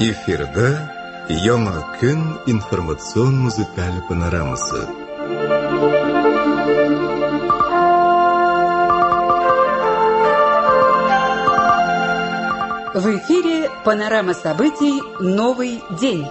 Эфирда Яңа көн информацион музыкаль панорамасы. В эфире панорама событий «Новый день».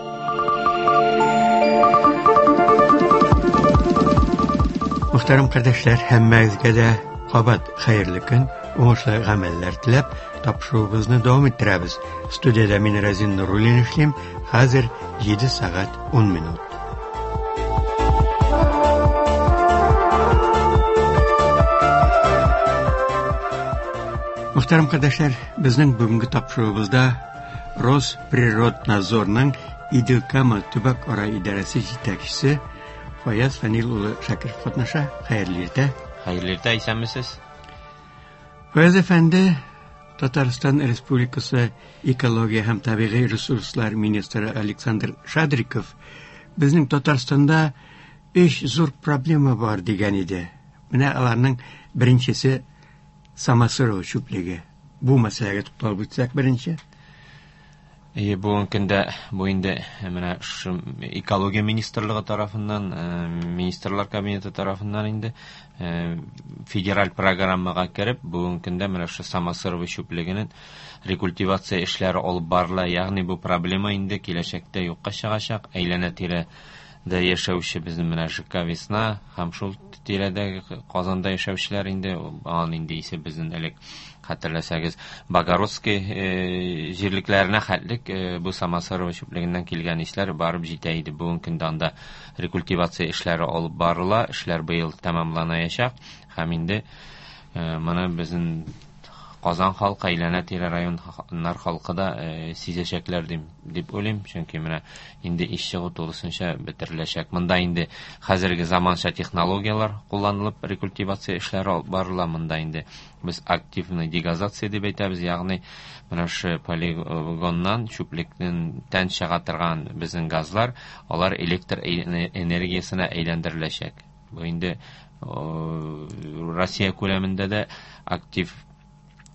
Мөхтәрәм кардәшләр, һәммәгезгә дә кабат хәерле көн, уңышлы гамәлләр теләп, тапшыруыбызны дәвам иттерәбез. Студиядә мин Разин Нуруллин эшлим. Хәзер 7 сәгать 10 минут. Мөхтәрәм кардәшләр, безнең бүгенге тапшыруыбызда Росприроднадзорның Идел-Кама төбәк-ара идарәсе җитәкчесе Фаяз Фәнил улы Шакиров катнаша. Хәерле иртә. Хәерле иртә, исәнмесез. Фаяз әфәнде, Татарстан Республикасы экология һәм табигый ресурслар министры Александр Шадриков безнең Татарстанда өч зур проблема бар дигән иде. Менә аларның беренчесе Самосырова чүплеге. Бу мәсьәләгә тукталып үтсәк беренче. Әйе, бүгенге көндә бу инде менә шушы экология министрлыгы тарафыннан, министрлар кабинеты тарафыннан инде федераль программага кереп, бүгенге көндә менә шушы Самосырова чүплегенең рекультивация эшләре алып барыла. Ягъни бу проблема инде киләчәктә юкка чыгачак. Әйләнә-тирә дә яшәүче безнең менә ЖК Весна һәм шул тирәдәге Казанда яшәүчеләр инде аның инде исе безнең элек хәтерләсәгез Богородский җирлекләренә хәтлек бу Самосырова чүплегеннән килгән исләр барып җитә иде. Бүгенге көндә анда рекультивация эшләре алып барыла, эшләр быел тәмамланаячак һәм инде моны безнең Казан халкы, әйләнә-тирә районнар халкы да сизәчәкләр дип уйлыйм, чөнки менә инде иш чыгу тулысынча бетереләчәк. Монда инде хәзерге заманча технологияләр кулланылып рекультивация эшләре алып барыла. Монда инде без активный дегазация дип әйтәбез, ягъни менә шушы полигоннан чүплектән тән чыга торган безнең газлар, алар электр энергиясенә әйләндереләчәк. Бу инде Россия күләмендә дә актив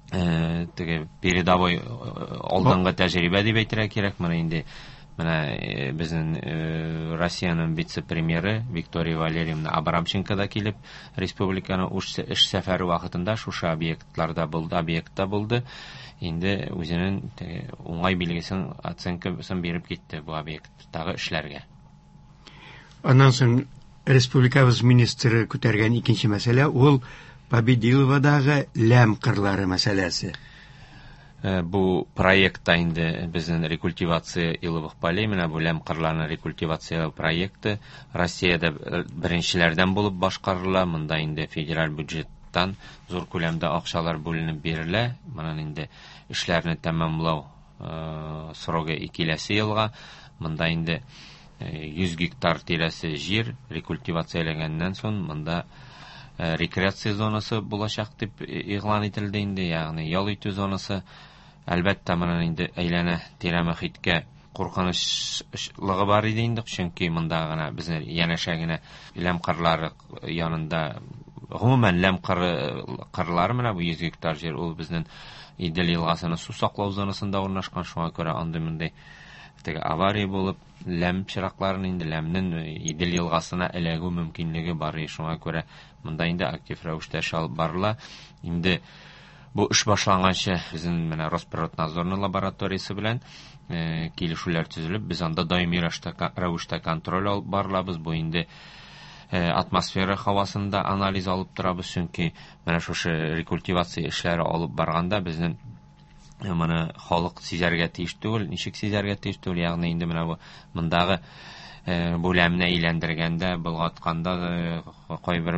теге передовой алдынгы тәҗрибә дип әйтергә кирәк. Менә инде менә безнең Россиянең вице-премьеры Виктория Валерьевна Абрамченко да килеп республиканың эш сәфәре вакытында шушы объектларда булды, объектта булды. Инде үзенең теге уңай билгесен, оценкасын биреп китте бу объекттагы эшләргә. Аннан соң республикабыз министры күтәргән икенче мәсьәлә ул Победиловадагы ләм кырлары мәсьәләсе. Бу проектта инде безнең рекультивация иловых полей, менә бу ләм кырларны рекультивация проекты Россиядә беренчеләрдән булып башкарыла. Монда инде федераль бюджеттан зур күләмдә акчалар бүленеп бирелә. Моның инде эшләрне тәмамлау срогы киләсе елга. Монда инде 100 гектар тирәсе җир рекультивацияләгәннән соң монда рекреация зонасы булачак дип игълан ителде инде, ягъни ял итү зонасы. Әлбәттә, моның инде әйләнә тирә мөхиткә куркынычлыгы бар иде инде, чөнки монда гына безнең янәшә генә ләм кырлары янында, гомумән ләм кырлары менә бу 100 гектар җир, ул безнең Идел елгасының су саклау зонасында урнашкан, шуңа күрә андый-мондый теге авария булып, ләм чиракларын инде ләмнең Идел елгасына эләгү мөмкинлеге бар, шуңа күрә монда инде актив рәвештә эш алып барыла. Инде бу эш башланганчы безнең менә Росприроднадзорның лабораториясе белән килешүләр төзелеп, без анда даими рәвештә контроль алып барылабыз. Бу инде атмосфера һавасында анализ алып торабыз, чөнки менә шушы рекультивация эшләре алып барганда безнең моны халык сизәргә тиеш түгел, ничек сизәргә тиеш түгел, ягъни инде менә бу мондагы бүләмне әйләндергәндә, болгатканда кайбер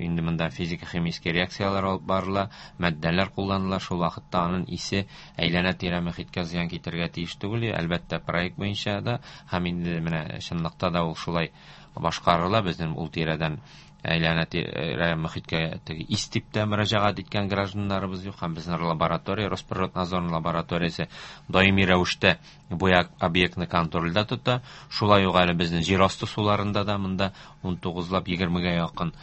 инде монда физика-химический реакцияләр алып барыла, матдәләр кулланыла, шул вакытта аның исе әйләнә-тирә мөхиткә зыян китерергә тиеш түгел. Әлбәттә, проект буенча да һәм инде менә чынлыкта да ул шулай башкарыла. Безнең ул тирәдән әйләнә-тирә мөхиткә теге ис дип тә мөрәҗәгать иткән гражданнарыбыз юк, һәм безнең лаборатория, Росприроднадзорның лабораториясе даими рәвештә бу объектны контрольдә тота. Шулай ук әле безнең җир асты суларында да монда унтугызлап егермегә якын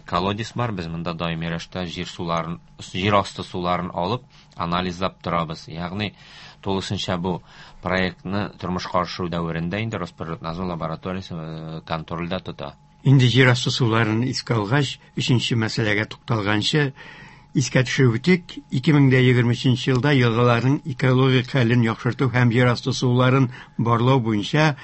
Колодец бар. Без монда даими рәвештә җир суларын, җир асты суларын алып, анализлап торабыз. Ягъни тулысынча бу проектны тормышка ашыру дәверендә инде Росприроднадзор лабораториясе контрольдә тота. Инде җир асты суларын искә алгач, өченче мәсьәләгә тукталганчы, искә төшереп үтик, 2023 елда елгаларның экологик хәлен яхшырту һәм җир асты суларын барлау буенча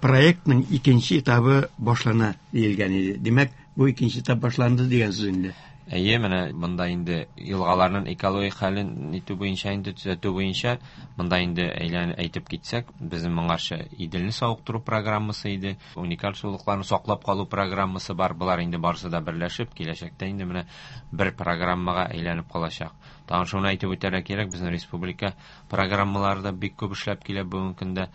проектның икенче этабы башлана диелгән иде. Димәк, бу икенче этап башланды дигән сүз инде. Әйе, менә монда инде елгаларның экологик хәлен итү буенча инде төзәтү буенча монда инде әйлән әйтеп китсәк, безнең моңарчы Иделне савыктыру программасы иде, уникаль сулыкларны саклап калу программасы бар. Болар инде барысы да берләшеп, киләчәктә инде менә бер программага әйләнеп калачак. Тагын шуны әйтеп үтәргә кирәк, безнең республика программалары да бик күп эшләп килә бүгенге көндә.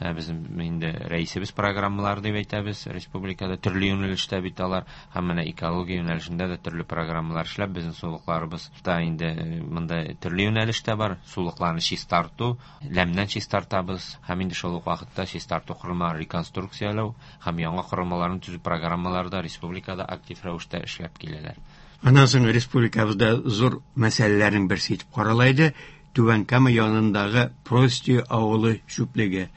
Безнең инде рәисебез программалары дип әйтәбез, республикада төрле юнәлештә бит алар, һәм менә экология юнәлешендә дә төрле программалар эшләп, безнең сулыкларыбыз да инде монда төрле юнәлештә бар. Сулыкларны чистарту, ләмнән чистартабыз, һәм инде шул ук вакытта чистарту корылмаларын реконструкцияләү һәм яңа корылмаларны төзү программалары да республикада актив рәвештә эшләп киләләр. Аннан соң республикабызда зур мәсьәләләрнең берсе итеп карала иде Түбән Кама янындагы Прости авылы чүплеге.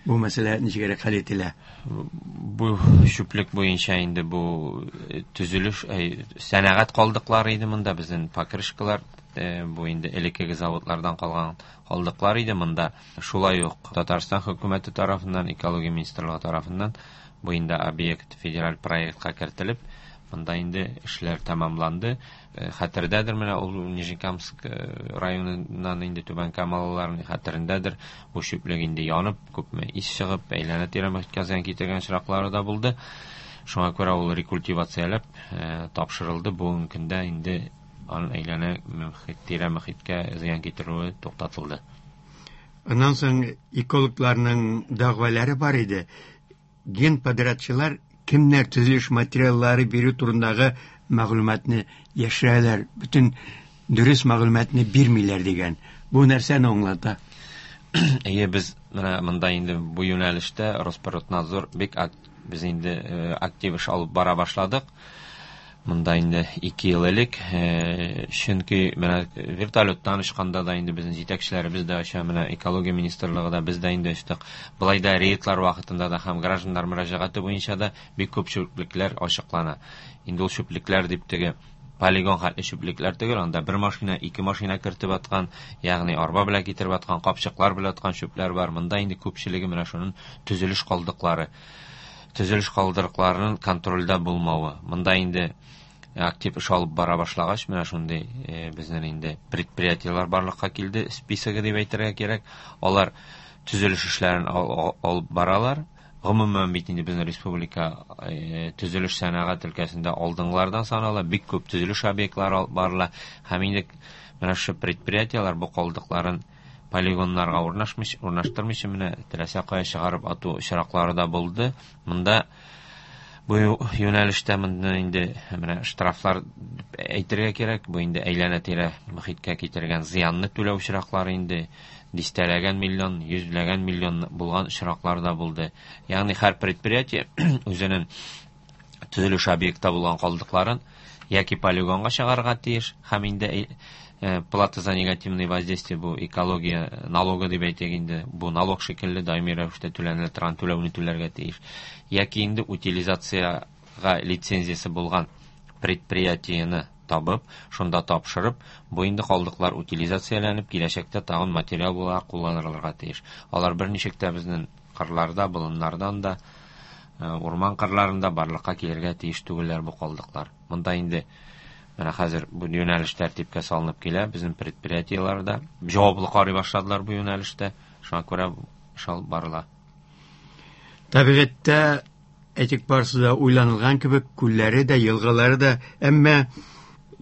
Бу мәсьәлә ничегрәк хәл ителә? Бу чүплек буенча инде бу төзелеш, сәнәгать калдыклары иде монда, безнең покрышкалар, бу инде элеккеге заводлардан калган калдыклар иде монда. Шулай ук Татарстан хөкүмәте тарафыннан, экология министрлыгы тарафыннан бу инде объект федераль проектка кертелеп, монда инде эшләр тәмамланды. Хәтердәдер менә ул Нижнекамск районыннан инде Түбән Камалыларның хәтерендәдер. Бу чүплек инде янып, күпме ис чыгып, әйләнә-тирә мохиткә зыян китергән очраклары да булды. Шуңа күрә ул рекультивацияләп тапшырылды. Бүгенге көндә инде аның әйләнә тирә мохиткә зыян китерүе туктатылды. Аннан соң экологларның дәгъвалары бар иде. Генподрядчылар кемнәр төзелеш материаллары бирү турындагы мәгълүматны яшерәләр, бөтен дөрес мәгълүматны бирмиләр дигән. Бу нәрсәне аңлата? Әйе, без менә монда инде бу юнәлештә Росприроднадзор бик без инде актив эш алып бара башладык. Монда инде 2 ел элек, чөнки менә вертолеттан очканда да инде безнең җитәкчеләребез дә оча, менә экология министрлыгы да, без дә инде очтык. Былай да рейдлар вакытында да һәм гражданнар мөрәҗәгате буенча да бик күп чүплекләр ачыклана. Инде ул чүплекләр дип теге полигон хәтле чүплекләр түгел, анда бер машина, ике машина кертеп аткан, ягъни арба белән китереп аткан, капчыклар белән аткан чүпләр бар. Монда инде күпчелеге менә шуның төзелеш калдыклары. Төзелеш калдыкларының контрольдә булмавы. Монда инде актив эш алып бара башлагач, менә шундый безнең инде предприятиеләр барлыкка килде, списогы дип әйтергә кирәк. Алар төзелеш эшләрен алып баралар. Гомумән бит инде безнең республика төзелеш сәнәгать өлкәсендә алдынгылардан санала, бик күп төзелеш объектлары алып барыла. Һәм инде менә шушы предприятиеләр бу калдыкларын полигоннарга урнаштырмыйча менә теләсә кая чыгарып ату очраклары да булды. Монда бу юнәлештә монда инде менә штрафлар әйтергә кирәк, бу инде әйләнә-тирә мохиткә китергән зыянны түләү очраклары инде дистәләгән миллион, йөзләгән миллион булган очраклар да булды. Ягъни һәр предприятие үзенең төзелеш объектта булган калдыкларын яки полигонга чыгарырга тиеш, һәм инде плата за негативное воздействие, бу экология налогы дип әйтик инде, бу налог шикелле даими рәвештә түләнелә торган түләүне түләргә тиеш. Яки инде утилизацияга лицензиясе булган предприятиене табып, шунда тапшырып, бу инде калдыклар утилизацияләнеп, киләчәктә тагын материал буларак кулланылырга тиеш. Алар берничек тә безнең кырларда, болыннардан да, урман кырларында барлыкка килергә тиеш түгелләр бу калдыклар. Монда инде менә хәзер бу юнәлеш тәртипкә салынып килә, безнең предприятиеләрдә җаваплы карый башладылар бу юнәлештә, шуңа күрә эш алып барыла. Табигатьтә әйтик барысы да уйланылган кебек, күлләре дә, елгалары да, әмма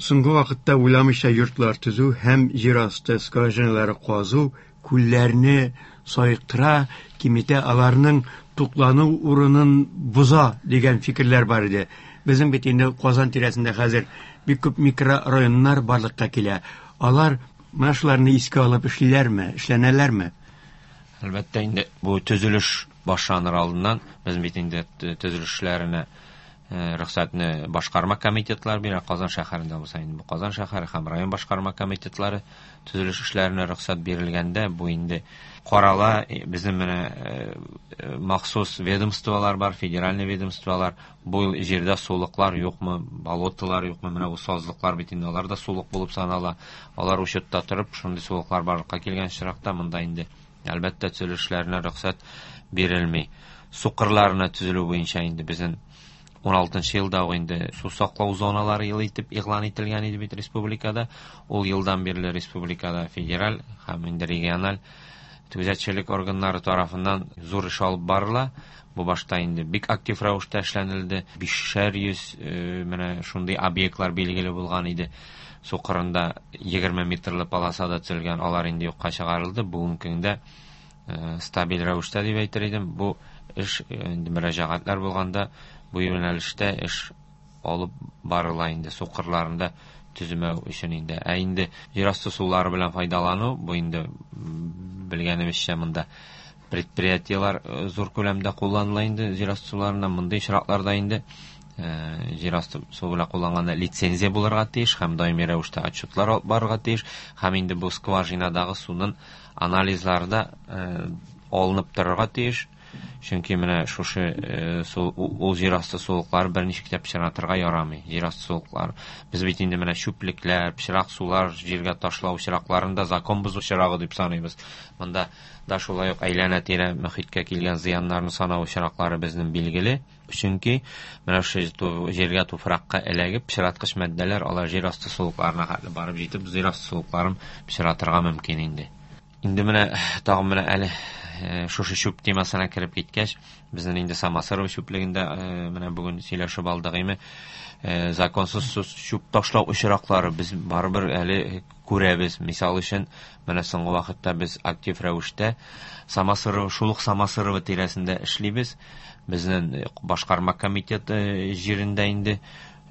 соңгы вакытта уйламыйча йортлар төзү һәм җир асты скважиналары казу күлләрне саектыра, киметә, аларның туклану урынын боза дигән фикерләр бар иде. Безнең бит инде Казан тирәсендә хәзер бик күп микрорайоннар барлыкка килә. Алар менә шуларны искә алып эшлиләрме, эшләнәләрме? Әлбәттә инде бу төзелеш башланыр алдыннан без бит инде төзелешләренә Рөхсәтне башкарма комитетлар бирә. Казан шәһәрендә булса инде бу Казан шәһәре һәм район башкарма комитетлары төзелеш эшләренә рөхсәт бирелгәндә, бу инде карала. Безнең менә махсус ведомстволар бар, федеральный ведомстволар. Бу җирдә сулыклар юкмы, болоталар юкмы, менә бу сазлыклар бит инде, алар да сулык булып санала. Алар учетта торып, шундый сулыклар барлыкка килгән очракта монда инде әлбәттә төзелеш эшләренә рөхсәт бирелми. Су кырларына төзелү буенча инде безнең 16 елда ук инде су саклау зоналары елы итеп игълан ителгән иде бит республикада. Ул елдан бирле республикада федераль һәм инде региональ күзәтчелек органнары тарафыннан зур эш алып барыла. Бу башта инде бик актив рәвештә эшләнелде. 500 менә шундый объектлар билгеле булган иде. Су кырында 20 метрлы полосада төзелгән, алар инде юкка чыгарылды. Бүгенге көндә стабиль рәвештә дип әйтер идем. Бу эш инде мөрәҗәгатьләр булганда бу юнәлештә эш алып барыла инде су кырларында төземәү өчен инде. Ә инде җир асты сулары белән файдалану, бу инде белгәнебезчә монда предприятиелар зур күләмдә кулланыла инде җир асты суларына. Мондый очракларда инде җир асты су белән кулланганда лицензия булырга тиеш һәм даими рәвештә отчетлар алып барырга тиеш, һәм инде бу скважинадагы суның анализлары да алынып торырга тиеш. Чөнки менә шушы су, ул җир асты сулыклары берничек тә пычратырга ярамый. Җир асты сулыклары. Без бит инде менә чүплекләр, пычрак сулар җиргә ташлау очракларын да закон бозу очрагы дип саныйбыз. Монда да шулай ук әйләнә-тирә мөхиткә килгән зыяннарны санау очраклары безнең билгеле. Чөнки менә шушы җиргә, туфракка эләгеп, пычраткыч матдәләр алар җир асты сулыкларына хәтле барып җитеп, җир асты сулыкларын пычратырга мөмкин инде. Инде менә тагын менә әле шушы чүп темасына кереп киткәч, безнең инде Самосыров чүплегендә менә бүген сөйләшеп алдык име, законсыз чүп ташлау очраклары без барыбер әле күрәбез. Мисал өчен, менә соңгы вакытта без актив рәвештә Самосыров, шул ук Самосырова тирәсендә эшлибез. Безнең башкарма комитеты җирендә инде,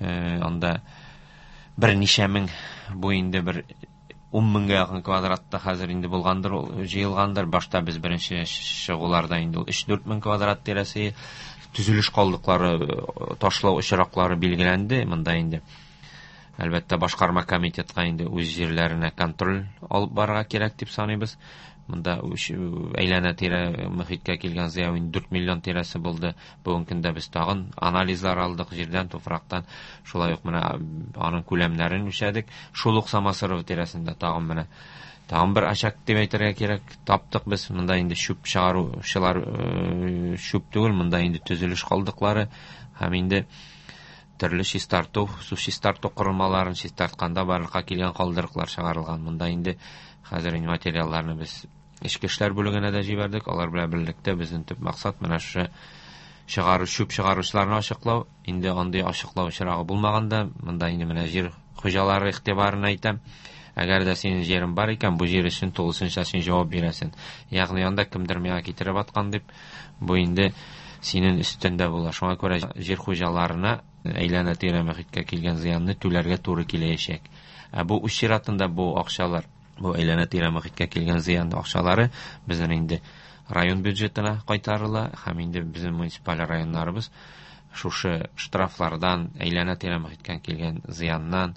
анда берничә мең, бу инде бер ун меңгә якын квадратта хәзер инде булгандыр, ул җыелгандыр. Башта без беренче чыгуларда инде ул өч-дүрт мең квадрат тирәсе төзелеш калдыклары ташлау очраклары билгеләнде. Монда инде әлбәттә башкарма комитетка инде үз җирләренә контроль алып барырга кирәк дип саныйбыз. Монда әйләнә-тирә мөхиткә килгән зыян инде 4 миллион тирәсе булды. Бүгенге көндә без тагын анализлар алдык җирдән, туфрактан. Шулай ук менә аның күләмнәрен үлчәдек. Шул ук Самосыров тирәсендә тагын менә тагын бер очаг дип әйтергә кирәк таптык без. Монда инде чүп чыгаручылар, чүп түгел, монда инде төзелеш калдыклары һәм инде төрле чистарту, су чистарту корылмаларын чистартканда барлыкка килгән калдыклар чыгарылган. Монда инде хәзер инде материалларны без эчке эшләр бүлегенә дә җибәрдек. Алар белән берлектә безнең төп максат менә шушы чүп чыгаручыларны ачыклау. Инде андый ачыклау очрагы булмаганда, монда инде менә җир хуҗалары игътибарына әйтәм. Әгәр дә синең җирең бар икән, бу җир өчен тулысынча син җавап бирәсең. Ягъни анда кемдер миңа китереп аткан дип, бу инде синең өстендә була. Шуңа күрә җир хуҗаларына әйләнә-тирә мөхиткә килгән зыянны түләргә туры киләчәк. Ә бу үз чиратында бу акчалар, бу әйләнә-тирә мөхиткә килгән зыян акчалары безнең инде район бюджетына кайтарыла һәм инде безнең муниципаль районнарыбыз шушы штрафлардан, әйләнә-тирә мөхиткә килгән зыяннан,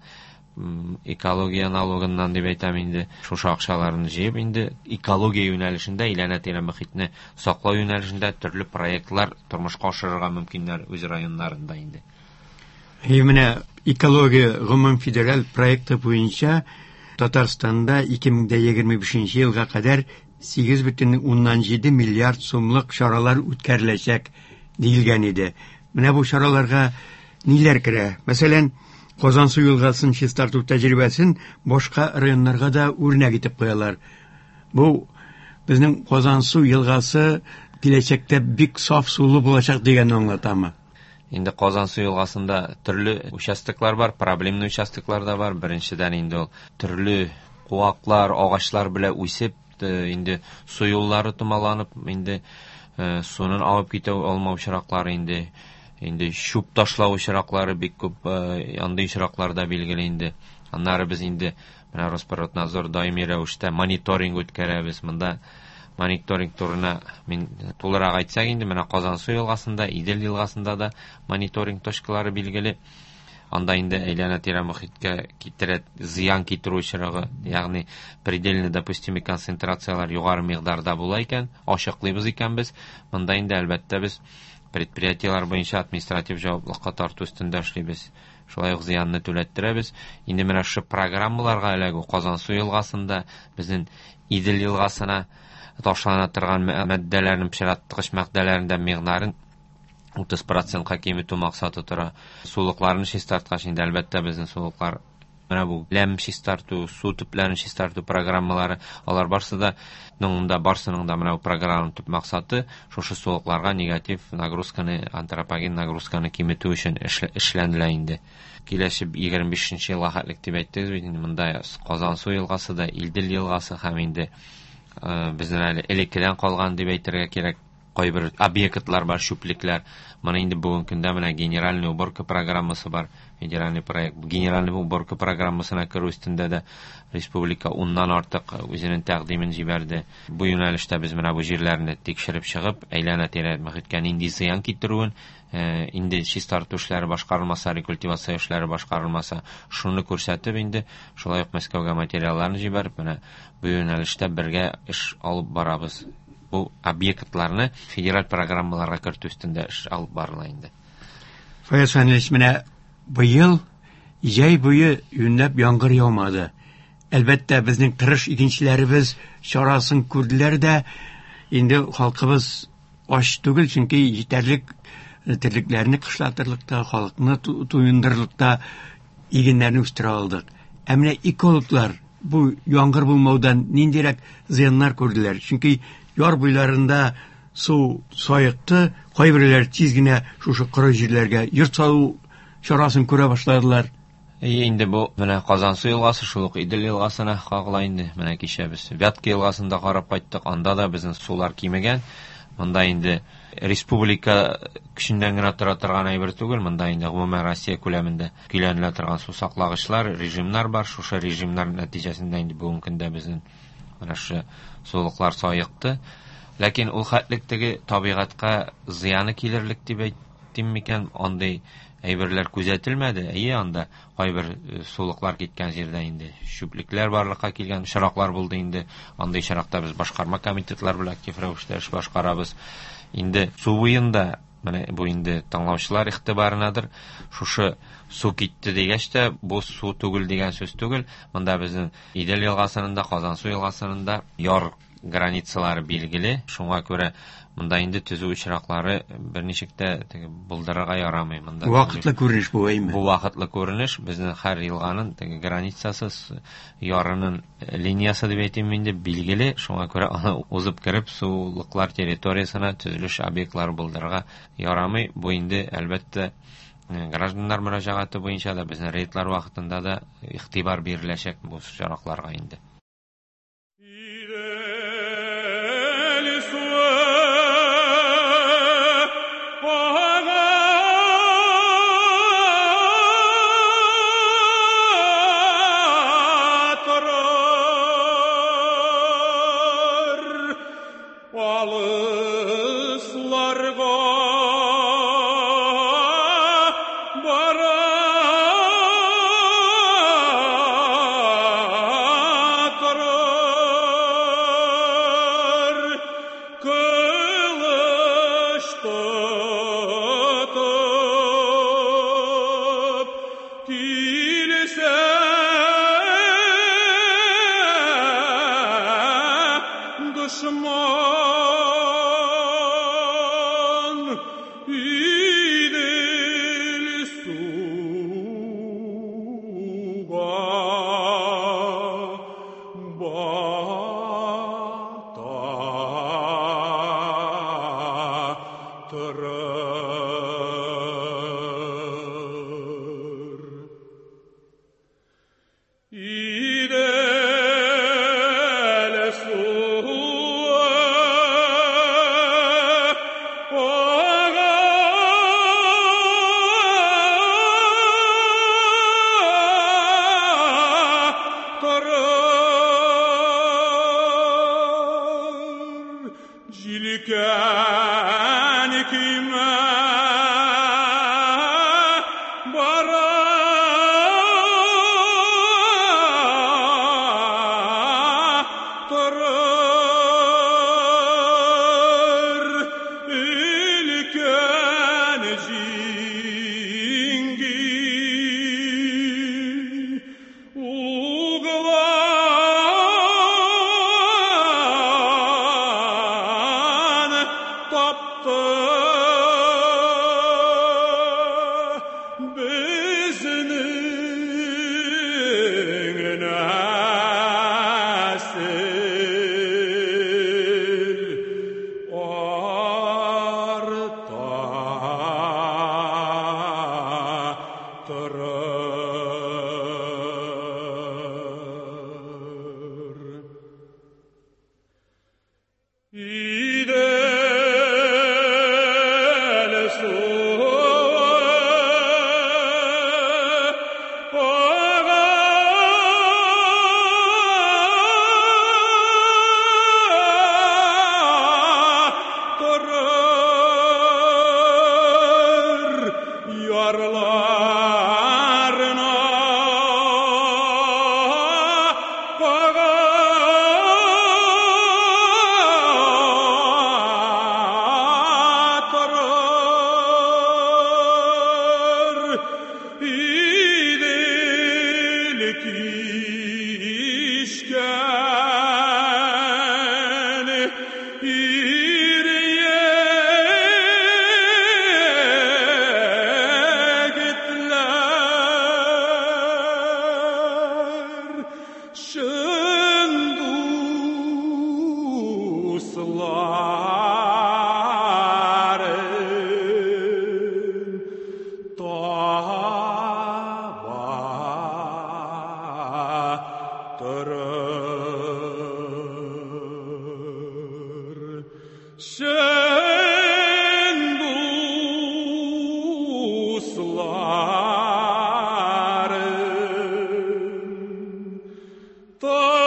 экология налогыннан дип әйтәм инде, шушы акчаларны җыеп инде экология юнәлешендә, әйләнә-тирә мөхитне саклау юнәлешендә төрле проектлар тормышка ашырырга мөмкиннәр үз районнарында инде. И менә экология гомум федераль проекты буенча Татарстанда ике мең дә егерме бишенче елга кадәр сигез бөтен уннан җиде миллиард сумлык чаралар үткәреләчәк диелгән иде. Менә бу чараларга ниләр керә? Мәсәлән, Казансу елгасын чистарту тәҗрибәсен башка районнарга да үрнәк итеп куялар. Бу безнең Казансу елгасы киләчәктә бик саф сулы булачак дигәнне аңлатамы? Инде Казансу елгасында төрле участоклар бар, проблемный участоклар да бар. Беренчедән инде ул төрле куаклар, агачлар белән үсеп, инде су юллары томаланып, инде суның агып китә алмау очраклары инде, инде чүп ташлау очраклары бик күп, андый очраклар да билгеле инде. Аннары без инде менә Росприроднадзор даими рәвештә мониторинг үткәрәбез. Монда Мониторинг турына мин тулырак әйтсәк инде, менә Казансу елгасында, Идел елгасында да мониторинг точкалары билгеле. Анда инде әйләнә-тирә мохиткә китерә зыян китерү очрагы, ягъни предельно допустимый концентрациялар югары микъдарда була икән, ачыклыйбыз икән без. Монда инде әлбәттә без предприятиелар буенча административ җаваплылыкка тарту өстендә эшлибез. Шулай ук зыянны түләттерәбез. Инде менә шушы программаларга эләгү Казансу елгасында, безнең Идел елгасына ташлана торган матдәләрнең пычраткыч матдәләрнең дә микъдарын 30%-ка киметү максаты тора. Сулыкларны чистарткач инде әлбәттә безнең сулыклар менә бу ләм чистарту, су төпләрен чистарту программалары, алар барсы да монда барсының да менә бу программаның төп максаты шушы сулыкларга негатив нагрузканы, антропоген нагрузканы киметү өчен эшләнелә инде. Киләсе 25 елга хәтлек дип әйттегез бит инде, монда Казансу елгасы да, Идел елгасы һәм инде безнең әле элеккедән калган дип әйтергә кирәк кайбер объектлар бар, чүплекләр. Моны инде бүгенге көндә менә генеральная уборка программасы бар, федеральный проект. Генеральная уборка программасына керү өстендә дә республика 10-нан артык үзенең тәкъдимен җибәрде. Бу юнәлештә без менә бу җирләрне тикшереп чыгып, әйләнә-тирә мохиткә нинди зыян китерүен, инде чистарту эшләре башкарылмаса, рекультивация эшләре башкарылмаса, шуны күрсәтеп инде шулай ук Мәскәүгә материалларны җибәреп, менә бу юнәлештә бергә эш алып барабыз. Бу объектларны федераль программаларга кертү өстендә эш алып барыла инде. Фаяз Фәнилович, менә быел җәй буе юньләп яңгыр яумады. Әлбәттә, безнең тырыш игенчеләребез чарасын күрделәр дә, инде халкыбыз ач түгел, чөнки җитәрлек терлекләрне кышлатырлык та, халыкны туендырырлык та игеннәрне үстерә алдык. Ә менә экологлар бу яңгыр булмаудан ниндирәк зыяннар күрделәр? Чөнки яр буйларында су саекты, кайберәүләр тиз генә шушы коры җирләргә йорт салу чарасын күрә башладылар. Инде бу менә Казансу елгасы, шул ук Идел елгасына кагыла инде. Менә кичә без Вятка елгасын да карап кайттык, анда да безнең сулар кимегән. Монда инде республика көченнән генә тора торган әйбер түгел, монда инде гомумән Россия күләмендә көйләнелә торган су саклагычлар, режимнар бар. Шушы режимнар нәтиҗәсендә инде бүгенге көндә безнең менә шушы сулыклар саекты. Ләкин ул хәтлек теге табигатькә зыяны килерлек дип әйтим микән, андый әйберләр күзәтелмәде. Әйе, анда кайбер сулыклар киткән җирдә инде чүплекләр барлыкка килгән очраклар булды инде. Андый очракта без башкарма комитетлар белән актив рәвештә эш башкарабыз. Инде су буенда, менә бу инде тыңлаучылар игътибарынадыр, шушы су китте дигәч тә, бу су түгел дигән сүз түгел. Монда безнең Идел елгасының да, Казансу елгасының да яр границалары билгеле. Шуңа күрә монда инде төзү очраклары берничек тә теге булдырырга ярамый. Монда вакытлы күренеш бу, әйме? Бу вакытлы күренеш. Безнең һәр елганың теге границасы, ярының линиясе дип әйтим инде, билгеле. Шуңа күрә аны узып кереп сулыклар территориясенә төзелеш объектлары булдырырга ярамый. Бу инде әлбәттә гражданнар мөрәҗәгате буенча да, безнең рейдлар вакытында да игътибар биреләчәк бу очракларга инде. Өлкән көймә бара торыр, өлкән җиңги углан тапты безнең нәсел арта торыр. İdel suyu ağa durur yarlarına ağa durur. İdil kişken ир-егетләр чын дусларын таба торыр. Чын дусларын таба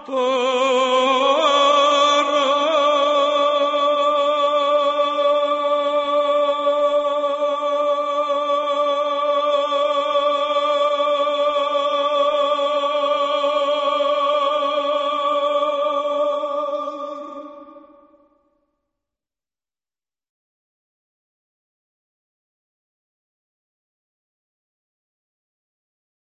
торыр.